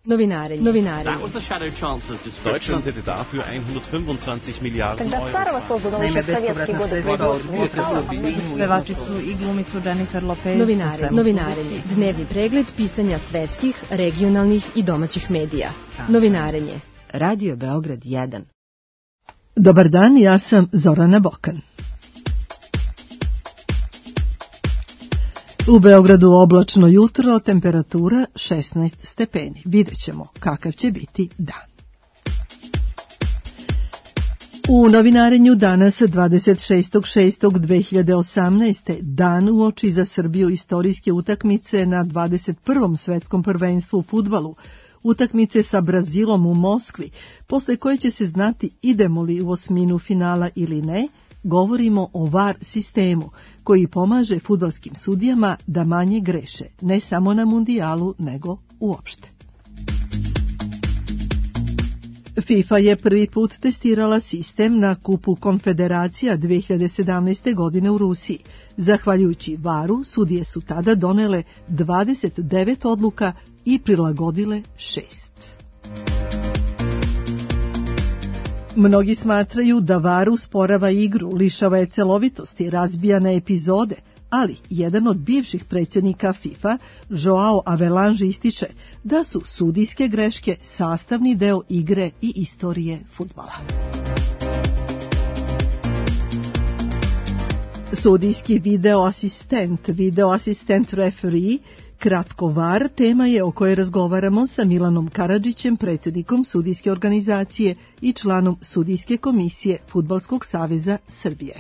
Novinarenje. That was the Shadow Chancellor's description. Deutschland hätte dafür 125 Milijarden Когда старого создано еще в советские годы Pevačicu i glumicu Jennifer Lopez. Novinarenje. Dnevni pregled pisanja svetskih, regionalnih i domaćih medija. Novinarenje. Radio Beograd 1. Dobar dan, ja sam Zorana Bokan. U Beogradu oblačno jutro, temperatura 16 stepeni. Vidjet ćemo kakav će biti dan. U novinarenju danas 26.6.2018. dan uoči za Srbiju istorijske utakmice na 21. svetskom prvenstvu u fudbalu. Utakmice sa Brazilom u Moskvi, posle koje će se znati idemo li u osminu finala ili ne, govorimo o VAR sistemu, koji pomaže fudbalskim sudijama da manje greše, ne samo na mundijalu, nego uopšte. FIFA je prvi put testirala sistem na Kupu Konfederacija 2017. godine u Rusiji. Zahvaljujući VAR-u, sudije su tada donele 29 odluka i prilagodile 6. Mnogi smatraju da VAR usporava igru, lišava je celovitosti, razbija na epizode, ali jedan od bivših predsjednika FIFA, Joao Avelange, ističe da su sudijske greške sastavni deo igre i istorije fudbala. Sudijski videoasistent referee, kratko VAR, tema je o kojoj razgovaramo sa Milanom Karadžićem, predsjednikom sudijske organizacije i članom sudijske komisije Fudbalskog saveza Srbije.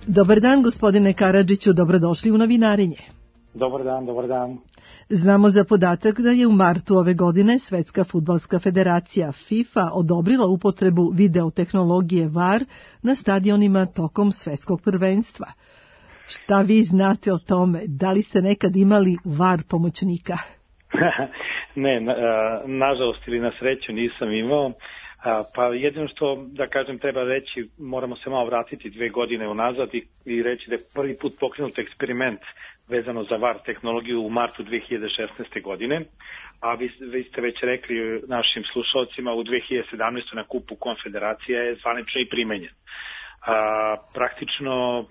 Dobar dan, gospodine Karadžiću, dobrodošli u novinarenje. Dobar dan. Znamo za podatak da je u martu ove godine Svetska fudbalska federacija FIFA odobrila upotrebu videotehnologije VAR na stadionima tokom svetskog prvenstva. Šta vi znate o tome? Da li ste nekad imali VAR pomoćnika? Ne, nažalost ili na sreću nisam imao. Pa jedino što, da kažem, treba reći, moramo se malo vratiti 2 godine unazad i reći da je prvi put pokrenut eksperiment vezano za VAR tehnologiju u martu 2016. godine, a vi ste već rekli našim slušalcima, u 2017. na Kupu Konfederacija je zvanično i primenjen. Praktično,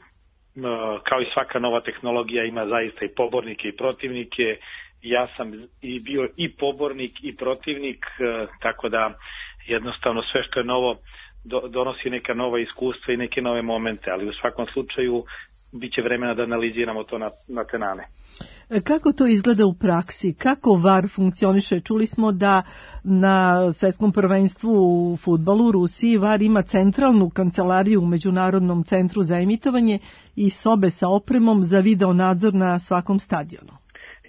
kao i svaka nova tehnologija, ima zaista i pobornike i protivnike. Ja sam i bio i pobornik i protivnik, tako da jednostavno sve što je novo donosi neka nova iskustva i neke nove momente, ali u svakom slučaju bit će vremena da analiziramo to na tenane. Kako to izgleda u praksi? Kako VAR funkcioniše? Čuli smo da na svetskom prvenstvu u fudbalu u Rusiji VAR ima centralnu kancelariju u Međunarodnom centru za emitovanje i sobe sa opremom za video nadzor na svakom stadionu.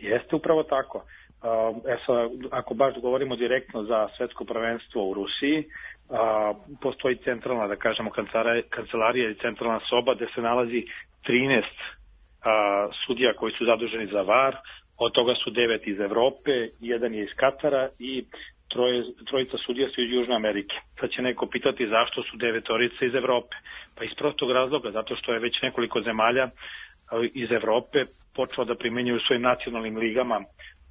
Jeste upravo tako. Ako baš govorimo direktno za svetsko prvenstvo u Rusiji, postoji centralna, da kažemo, kancelarija i centralna soba gde se nalazi 13 sudija koji su zaduženi za VAR, od toga su 9 iz Evrope, 1 je iz Katara i trojica sudija su iz Južne Amerike. Sad će neko pitati zašto su 9 iz Evrope. Pa iz prostog razloga, zato što je već nekoliko zemalja iz Evrope počelo da primenjuju svojim nacionalnim ligama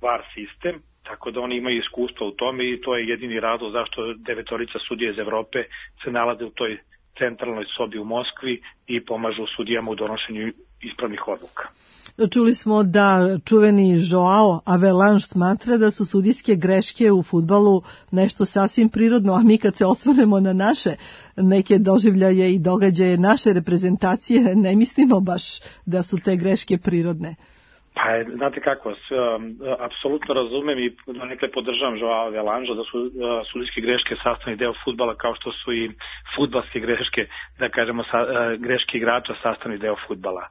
VAR sistem, tako da oni imaju iskustva u tome i to je jedini razlog zašto 9 sudija iz Evrope se nalaze u toj centralnoj sobi u Moskvi i pomažu sudijama u donošenju ispravnih odluka. Čuli smo da čuveni Joao Avelange smatra da su sudijske greške u fudbalu nešto sasvim prirodno, a mi kad se osvrnemo na naše neke doživljaje i događaje naše reprezentacije, ne mislimo baš da su te greške prirodne. Pa, znate kako, apsolutno razumem i nekada podržavam Joao Avelange da su sudijske greške sastavni deo fudbala, kao što su i fudbalske greške, da kažemo greške igrača sastavni deo fudbala.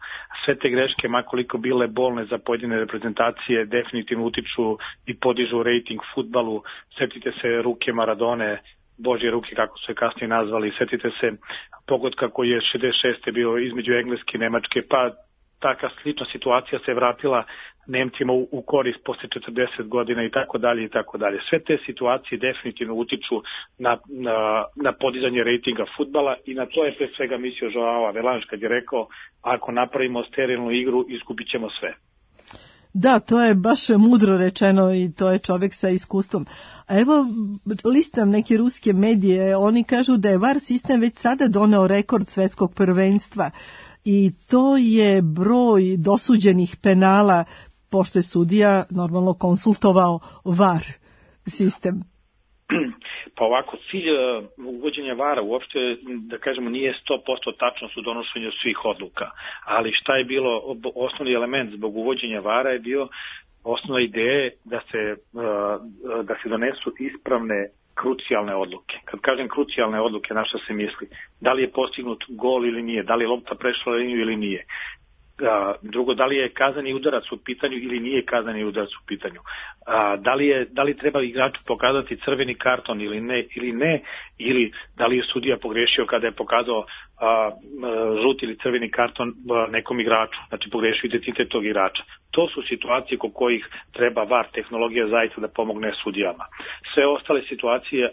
Sve te greške, makoliko bile bolne za pojedine reprezentacije, definitivno utiču i podižu rejting fudbalu. Sjetite se ruke Maradone, Božje ruke, kako su je kasnije nazvali, sjetite se pogotka koji je 66. bio između Engleske i Nemačke, pa taka slična situacija se vratila Nemcima u korist posle 40 godina i tako dalje i tako dalje. Sve te situacije definitivno utiču na podizanje rejtinga fudbala i na to je pre svega mislio Joao Avelange kad je rekao ako napravimo sterilnu igru izgubit ćemo sve. Da, to je baš mudro rečeno i to je čovjek sa iskustvom. A evo, listam neke ruske medije, oni kažu da je VAR sistem već sada doneo rekord svetskog prvenstva i to je broj dosuđenih penala, pošto je sudija normalno konsultovao VAR sistem. Pa ovako, cilj uvođenja VAR-a uopšte, da kažemo, nije 100% tačnost u donošenju svih odluka, ali šta je bilo osnovni element zbog uvođenja VAR-a je bio osnovna ideja da se donesu ispravne krucijalne odluke. Kad kažem krucijalne odluke, na šta se misli? Da li je postignut gol ili nije, da li je lopta prešla liniju ili nije. Drugo, da li je kazani udarac u pitanju ili nije kazani udarac u pitanju. Da li treba igraču pokazati crveni karton ili ne, ili da li je sudija pogrešio kada je pokazao žuti ili crveni karton nekom igraču, znači pogrešio identitet tog igrača. To su situacije kod kojih treba VAR tehnologija zaista da pomogne sudijama. Sve ostale situacije,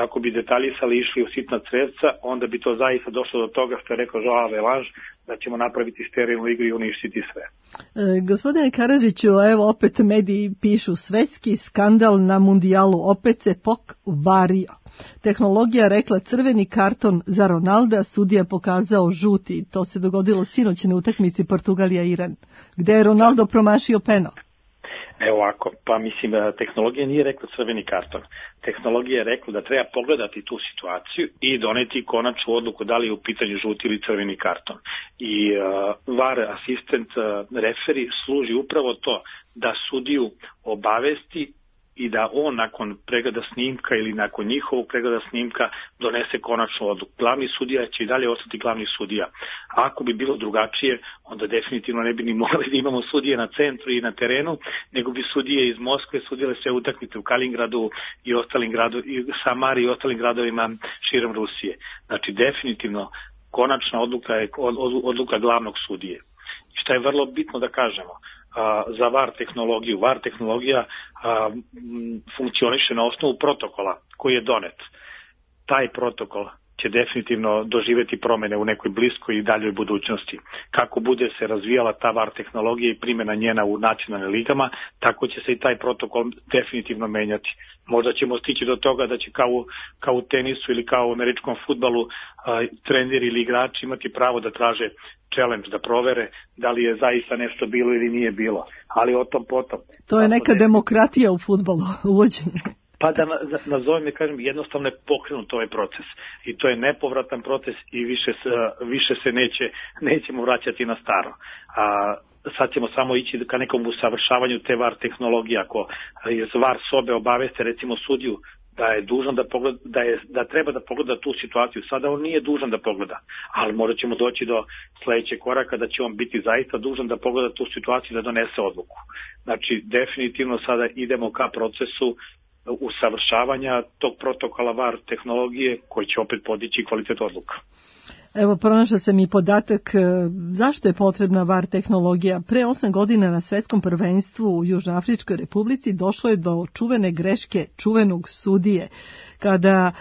ako bi detaljisali išli u sitna crevca, onda bi to zaista došlo do toga što je rekao Joao Velange, da ćemo napraviti sterilnu igru i uništiti sve. Gospodine Karadžiću, evo opet mediji pišu svetski skandal na mundijalu, opet se pokvario. Tehnologija rekla crveni karton za Ronalda, sudija pokazao žuti. To se dogodilo sinoć na utakmici Portugalija-Iran, gde je Ronaldo promašio penal. Evo ovako, pa mislim, tehnologija nije rekla crveni karton. Tehnologija je rekla da treba pogledati tu situaciju i doneti konačnu odluku da li je u pitanju žuti ili crveni karton. I VAR asistent referi služi upravo to da sudiju obavesti i da on nakon pregleda snimka ili nakon njihovog pregleda snimka donese konačnu odluku. Glavni sudija će i dalje ostati glavni sudija. Ako bi bilo drugačije, onda definitivno ne bi ni morali da imamo sudije na centru i na terenu, nego bi sudije iz Moskve sudile sve utakmice u Kaliningradu i ostalim i Samari i ostalim gradovima širom Rusije. Znači definitivno konačna odluka je odluka glavnog sudije. Šta je vrlo bitno da kažemo, za VAR tehnologiju. VAR tehnologija funkcioniše na osnovu protokola koji je donet. Taj protokol će definitivno doživjeti promjene u nekoj bliskoj i daljoj budućnosti. Kako bude se razvijala ta VAR tehnologija i primjena njena u nacionalnim ligama, tako će se i taj protokol definitivno menjati. Možda ćemo stići do toga da će kao u tenisu ili kao u američkom fudbalu treneri ili igrači imati pravo da traže challenge, da provere da li je zaista nešto bilo ili nije bilo. Ali o tom potom. To je neka demokratija u fudbalu, uvođenje. Pa da nazovem i kažem, jednostavno je pokrenut ovaj proces. I to je nepovratan proces i više se nećemo vraćati na staro. Sad ćemo samo ići ka nekom usavršavanju te VAR tehnologije. Ako iz VAR sobe obaveste recimo sudiju da je dužan da treba da pogleda tu situaciju. Sada on nije dužan da pogleda, ali možda ćemo doći do sledećeg koraka da će on biti zaista dužan da pogleda tu situaciju i da donese odluku. Znači, definitivno sada idemo ka procesu usavršavanja tog protokola VAR tehnologije koji će opet podići kvalitet odluka. Evo, pronašla sam i podatak zašto je potrebna VAR tehnologija. Pre 8 godina na svetskom prvenstvu u Južnoafričkoj republici došlo je do čuvene greške čuvenog sudije. Kada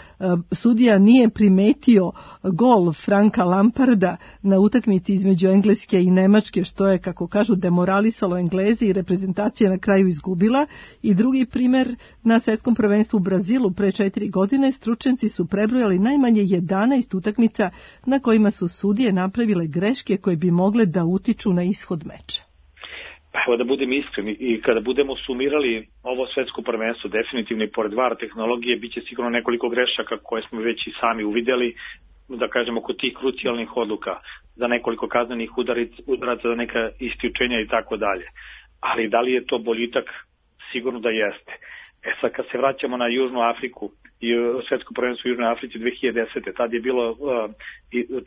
sudija nije primetio gol Franka Lamparda na utakmici između Engleske i Nemačke, što je, kako kažu, demoralisalo Englezi i reprezentacija na kraju izgubila. I drugi primer, na svetskom prvenstvu u Brazilu pre 4 godine stručnjaci su prebrojali najmanje 11 utakmica na kojima su sudije napravile greške koje bi mogle da utiču na ishod meča. Pa evo da budem iskreni, i kada budemo sumirali ovo svetsko prvenstvo, definitivno i pored VAR tehnologije biće sigurno nekoliko grešaka koje smo već i sami uvidjeli, da kažemo, kod tih krucijalnih odluka, za nekoliko kaznenih udaraca, za neka isključenja i tako dalje. Ali da li je to boljitak? Sigurno da jeste. Sad kad se vraćamo na Južnu Afriku i svetsko prvenstvo u Južnoj Africi 2010. Tad je bilo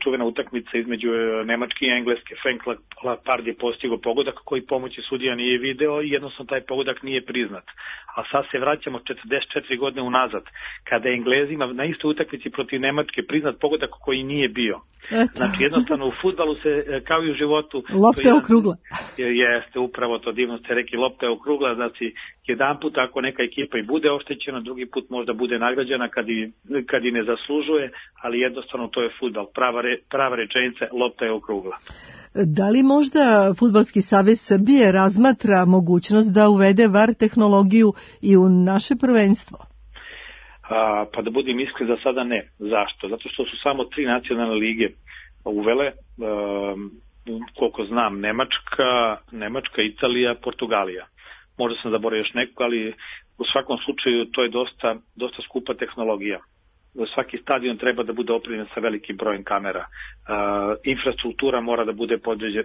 čuvena utakmica između Nemačke i Engleske. Frank Lampard je postigao pogodak koji pomoći sudija nije video i jednostavno taj pogodak nije priznat. A sad se vraćamo 44 godine unazad, kada je Englezima na istoj utakmici protiv Nemačke priznat pogodak koji nije bio. Znači jednostavno u fudbalu se, kao i u životu, lopta je okrugla. Jeste, upravo to divno ste rekli, lopta je okrugla, znači jedan put ako neka ekipa i bude oštećena, drugi put možda bude nagrađena kad i ne zaslužuje, ali jednostavno to je fudbal. prava rečenica, lopta je okrugla. Da li možda Fudbalski savez Srbije razmatra mogućnost da uvede VAR tehnologiju i u naše prvenstvo? Pa da budem iskren, za sada ne. Zašto? Zato što su samo 3 nacionalne lige uvele, koliko znam, Nemačka, Italija, Portugalija. Možda sam zaboravio još neko, ali u svakom slučaju to je dosta skupa tehnologija. Svaki stadion treba da bude opremljen sa velikim brojem kamera. Infrastruktura mora da bude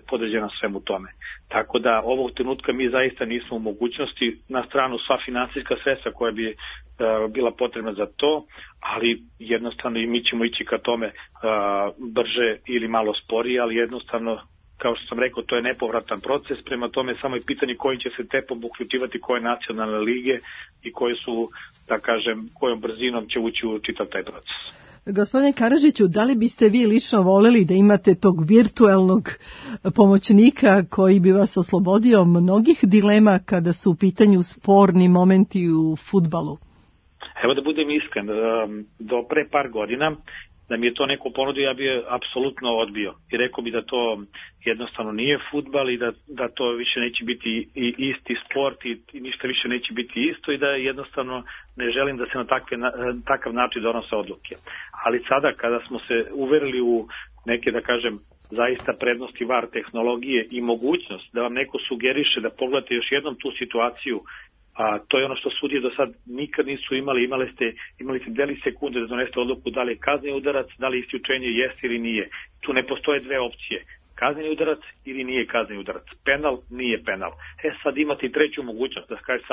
podređena svemu tome. Tako da ovog trenutka mi zaista nismo u mogućnosti, na stranu sva finansijska sredstva koja bi bila potrebna za to, ali jednostavno i mi ćemo ići ka tome brže ili malo sporije, ali jednostavno, kao što sam rekao, to je nepovratan proces, prema tome samo je pitanje kojim će se tempom uključivati koje nacionalne lige i koje su, da kažem, kojom brzinom će ući u čitav taj proces. Gospodine Karadžiću, da li biste vi lično voleli da imate tog virtualnog pomoćnika koji bi vas oslobodio mnogih dilema kada su u pitanju sporni momenti u fudbalu? Evo da budem iskren, do pre par godina da mi je to neko ponudio, ja bi je apsolutno odbio. I rekao bi da to jednostavno nije fudbal i da to više neće biti i isti sport i ništa više neće biti isto i da jednostavno ne želim da se na takav način donose odluke. Ali sada kada smo se uverili u neke, da kažem, zaista prednosti VAR tehnologije i mogućnost da vam neko sugeriše da pogledate još jednom tu situaciju, a to je ono što sudije do sad nikad nisu imali. Imali ste deli sekunde da donesete odluku da li je kazneni udarac, da li isključenje jeste ili nije. Tu ne postoje dve opcije. Kazneni udarac ili nije kazneni udarac. Penal, nije penal. Sad imate i treću mogućnost da kažete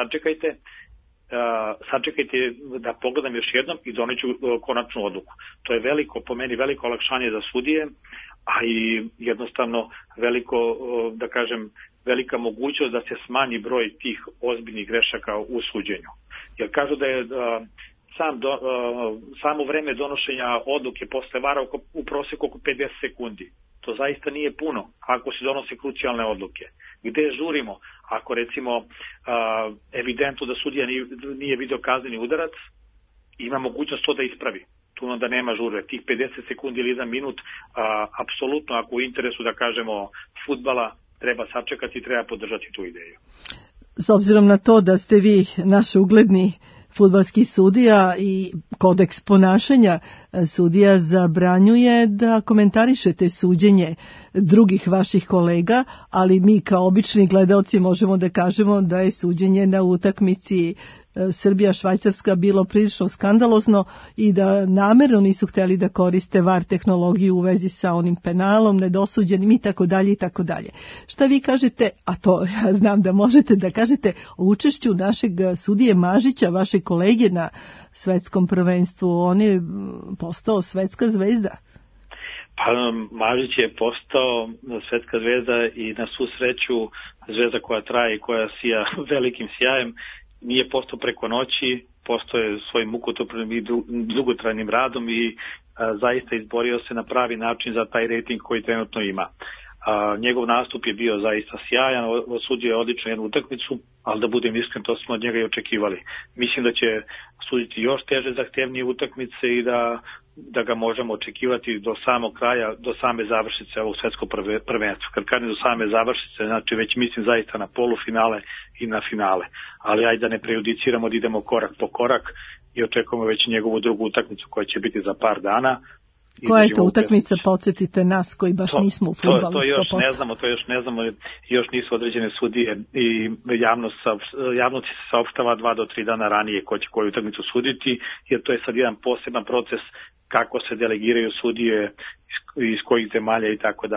sačekajte da pogledam još jednom i doneću konačnu odluku. To je po meni veliko olakšanje za sudije, a i jednostavno da kažem, velika mogućnost da se smanji broj tih ozbiljnih grešaka u suđenju. Jer kažu da je samo vreme donošenja odluke posle VAR-a u proseku oko 50 sekundi. To zaista nije puno ako se donose krucijalne odluke. Gde žurimo? Ako recimo evidentno da sudija nije video kazneni udarac, ima mogućnost to da ispravi. Tu onda nema žurbe. Tih 50 sekundi ili 1 minut, apsolutno ako u interesu, da kažemo, fudbala, treba sačekati i treba podržati tu ideju. S obzirom na to da ste vi naš ugledni fudbalski sudija i kodeks ponašanja sudija zabranjuje da komentarišete suđenje drugih vaših kolega, ali mi kao obični gledaoci možemo da kažemo da je suđenje na utakmici Srbija-Švajcarska bilo prilično skandalozno i da namerno nisu hteli da koriste VAR tehnologiju u vezi sa onim penalom, nedosuđenim i tako dalje i tako dalje. Šta vi kažete, a to ja znam da možete da kažete, o učešću našeg sudije Mažića, vaše kolege na svetskom prvenstvu? On je postao svetska zvezda. Pa Mažić je postao svetska zvezda i na svu sreću zvezda koja traje i koja sija velikim sjajem. Nije postao preko noći, postao je svojim mukotrpnim i dugotrajnim radom i zaista izborio se na pravi način za taj rating koji trenutno ima. Njegov nastup je bio zaista sjajan, osudio je odlično jednu utakmicu, ali da budem iskren, to smo od njega i očekivali. Mislim da će suditi još teže, zahtevnije utakmice i da ga možemo očekivati do samog kraja, do same završnice ovog svetskog prvenstva. Kad kažem do same završnice, znači već mislim zaista na polufinale i na finale. Ali ajde da ne prejudiciramo, da idemo korak po korak i očekujemo već njegovu drugu utakmicu koja će biti za par dana. Koja je to utakmica, podsjetite nas koji baš nismo u fudbalu 100%. To još ne znamo, još nisu određene sudije i javnost se saopštava 2 do 3 dana ranije ko će koju utakmicu suditi, jer to je sad jedan poseban proces kako se delegiraju sudije iz kojih zemalja i tako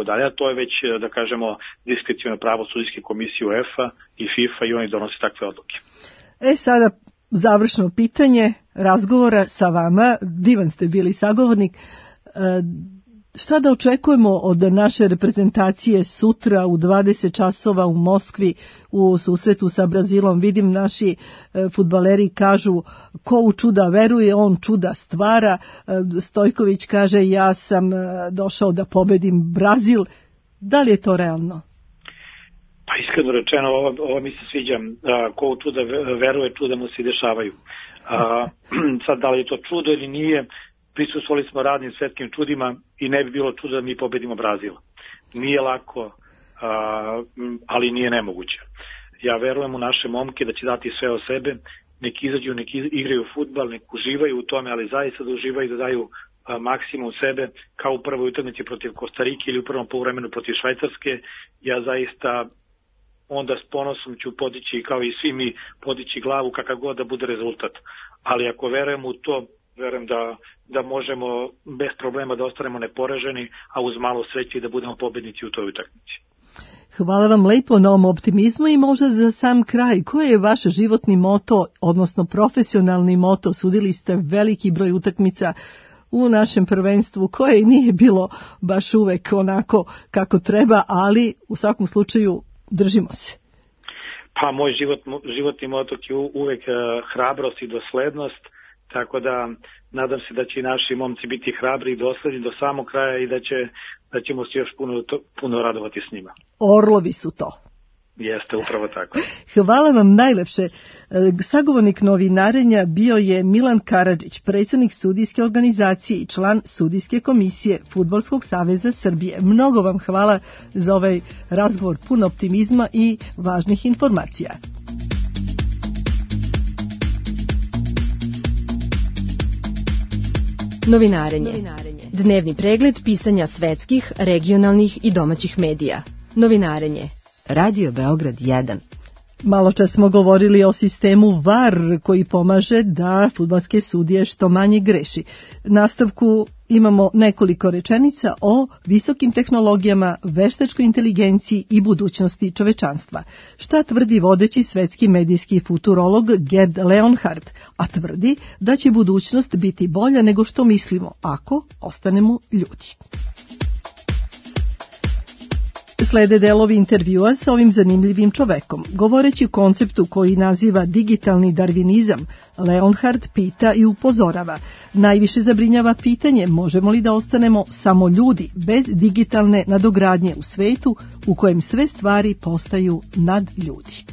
dalje. A to je već, da kažemo, diskreciono pravo sudijske komisije UEFA i FIFA i oni donose takve odluke. Sada završno pitanje razgovora sa vama, divan ste bili sagovornik. Šta da očekujemo od naše reprezentacije sutra u 20 časova u Moskvi u susretu sa Brazilom? Vidim naši fudbaleri kažu ko u čuda veruje, on čuda stvara. Stojković kaže ja sam došao da pobedim Brazil. Da li je to realno? Pa iskreno rečeno, ovo mi se sviđa. Ko u čuda veruje, čuda mu se i dešavaju. Sad, da li je to čudo ili nije, prisustvovali smo radnim svetskim čudima i ne bi bilo čudo da mi pobedimo Brazil. Nije lako, ali nije nemoguće. Ja verujem u naše momke da će dati sve o sebe, nek izađu, nek igraju fudbal, nek uživaju u tome, ali zaista da uživaju, da daju maksimum sebe, kao u prvoj utakmici protiv Kostarike ili u prvom poluvremenu protiv Švajcarske. Ja zaista onda s ponosom ću podići, kao i svi mi, podići glavu kakav god da bude rezultat. Ali ako verujem u to, verujem da možemo bez problema da ostanemo neporaženi, a uz malo sreće da budemo pobednici u toj utakmici. Hvala vam lepo na ovom optimizmu i možda za sam kraj, koji je vaš životni moto, odnosno profesionalni moto? Sudili ste veliki broj utakmica u našem prvenstvu koje nije bilo baš uvek onako kako treba, ali u svakom slučaju držimo se. Pa moj životni moto je uvek hrabrost i doslednost, tako da nadam se da će i naši momci biti hrabri i dosledni do samog kraja i da ćemo se još puno radovati s njima. Orlovi su to. Jeste, upravo tako. Hvala vam najlepše. Sagovornik novinarenja bio je Milan Karadžić, predsjednik sudijske organizacije i član sudijske komisije Fudbalskog saveza Srbije. Mnogo vam hvala za ovaj razgovor pun optimizma i važnih informacija. Novinarenje. Dnevni pregled pisanja svetskih, regionalnih i domaćih medija. Novinarenje. Radio Beograd 1. Maločas smo govorili o sistemu VAR koji pomaže da fudbalske sudije što manje greši. Nastavku imamo nekoliko rečenica o visokim tehnologijama, veštačkoj inteligenciji i budućnosti čovečanstva. Šta tvrdi vodeći svetski medijski futurolog Gerd Leonhardt, a tvrdi da će budućnost biti bolja nego što mislimo ako ostanemo ljudi. Slede delovi intervjua sa ovim zanimljivim čovekom. Govoreći o konceptu koji naziva digitalni darvinizam, Leonhardt pita i upozorava. Najviše zabrinjava pitanje možemo li da ostanemo samo ljudi bez digitalne nadogradnje u svetu u kojem sve stvari postaju nad ljudi.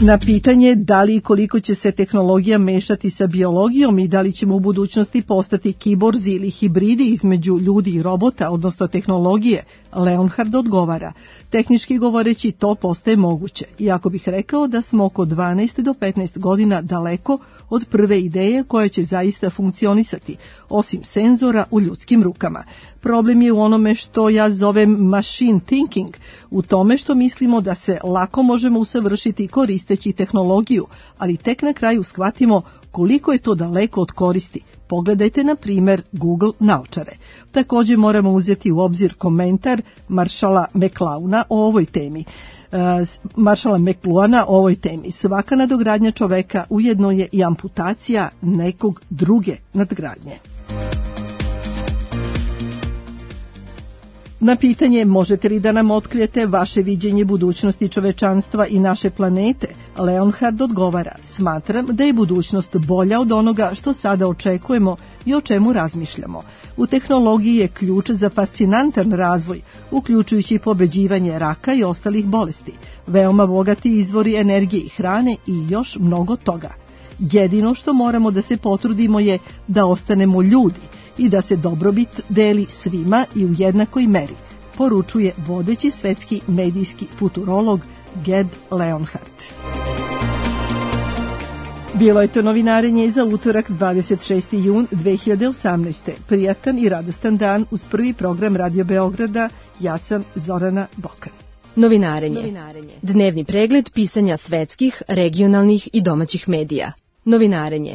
Na pitanje da li i koliko će se tehnologija mešati sa biologijom i da li ćemo u budućnosti postati kiborzi ili hibridi između ljudi i robota, odnosno tehnologije, Leonhardt odgovara. Tehnički govoreći to postaje moguće, iako bih rekao da smo oko 12 do 15 godina daleko od prve ideje koja će zaista funkcionisati, osim senzora u ljudskim rukama. Problem je u onome što ja zovem machine thinking, u tome što mislimo da se lako možemo usavršiti koristeći tehnologiju, ali tek na kraju shvatimo koliko je to daleko od koristi. Pogledajte na primjer Google naočare. Također moramo uzeti u obzir komentar Maršala McLuhana o ovoj temi. Svaka nadogradnja čoveka ujedno je i amputacija nekog druge nadgradnje. Na pitanje možete li da nam otkrijete vaše viđenje budućnosti čovečanstva i naše planete, Leonhardt odgovara, smatram da je budućnost bolja od onoga što sada očekujemo i o čemu razmišljamo. U tehnologiji je ključ za fascinantan razvoj, uključujući pobeđivanje raka i ostalih bolesti, veoma bogati izvori energije i hrane i još mnogo toga. Jedino što moramo da se potrudimo je da ostanemo ljudi i da se dobrobit deli svima i u jednakoj meri, poručuje vodeći svetski medijski futurolog Gerd Leonhardt. Bilo je to novinarenje za utorak 26. jun 2018. Prijatan i radostan dan uz prvi program Radio Beograda. Ja sam Zorana Bokan. Novinarenje. Dnevni pregled pisanja svetskih, regionalnih i domaćih medija. Novinarenje.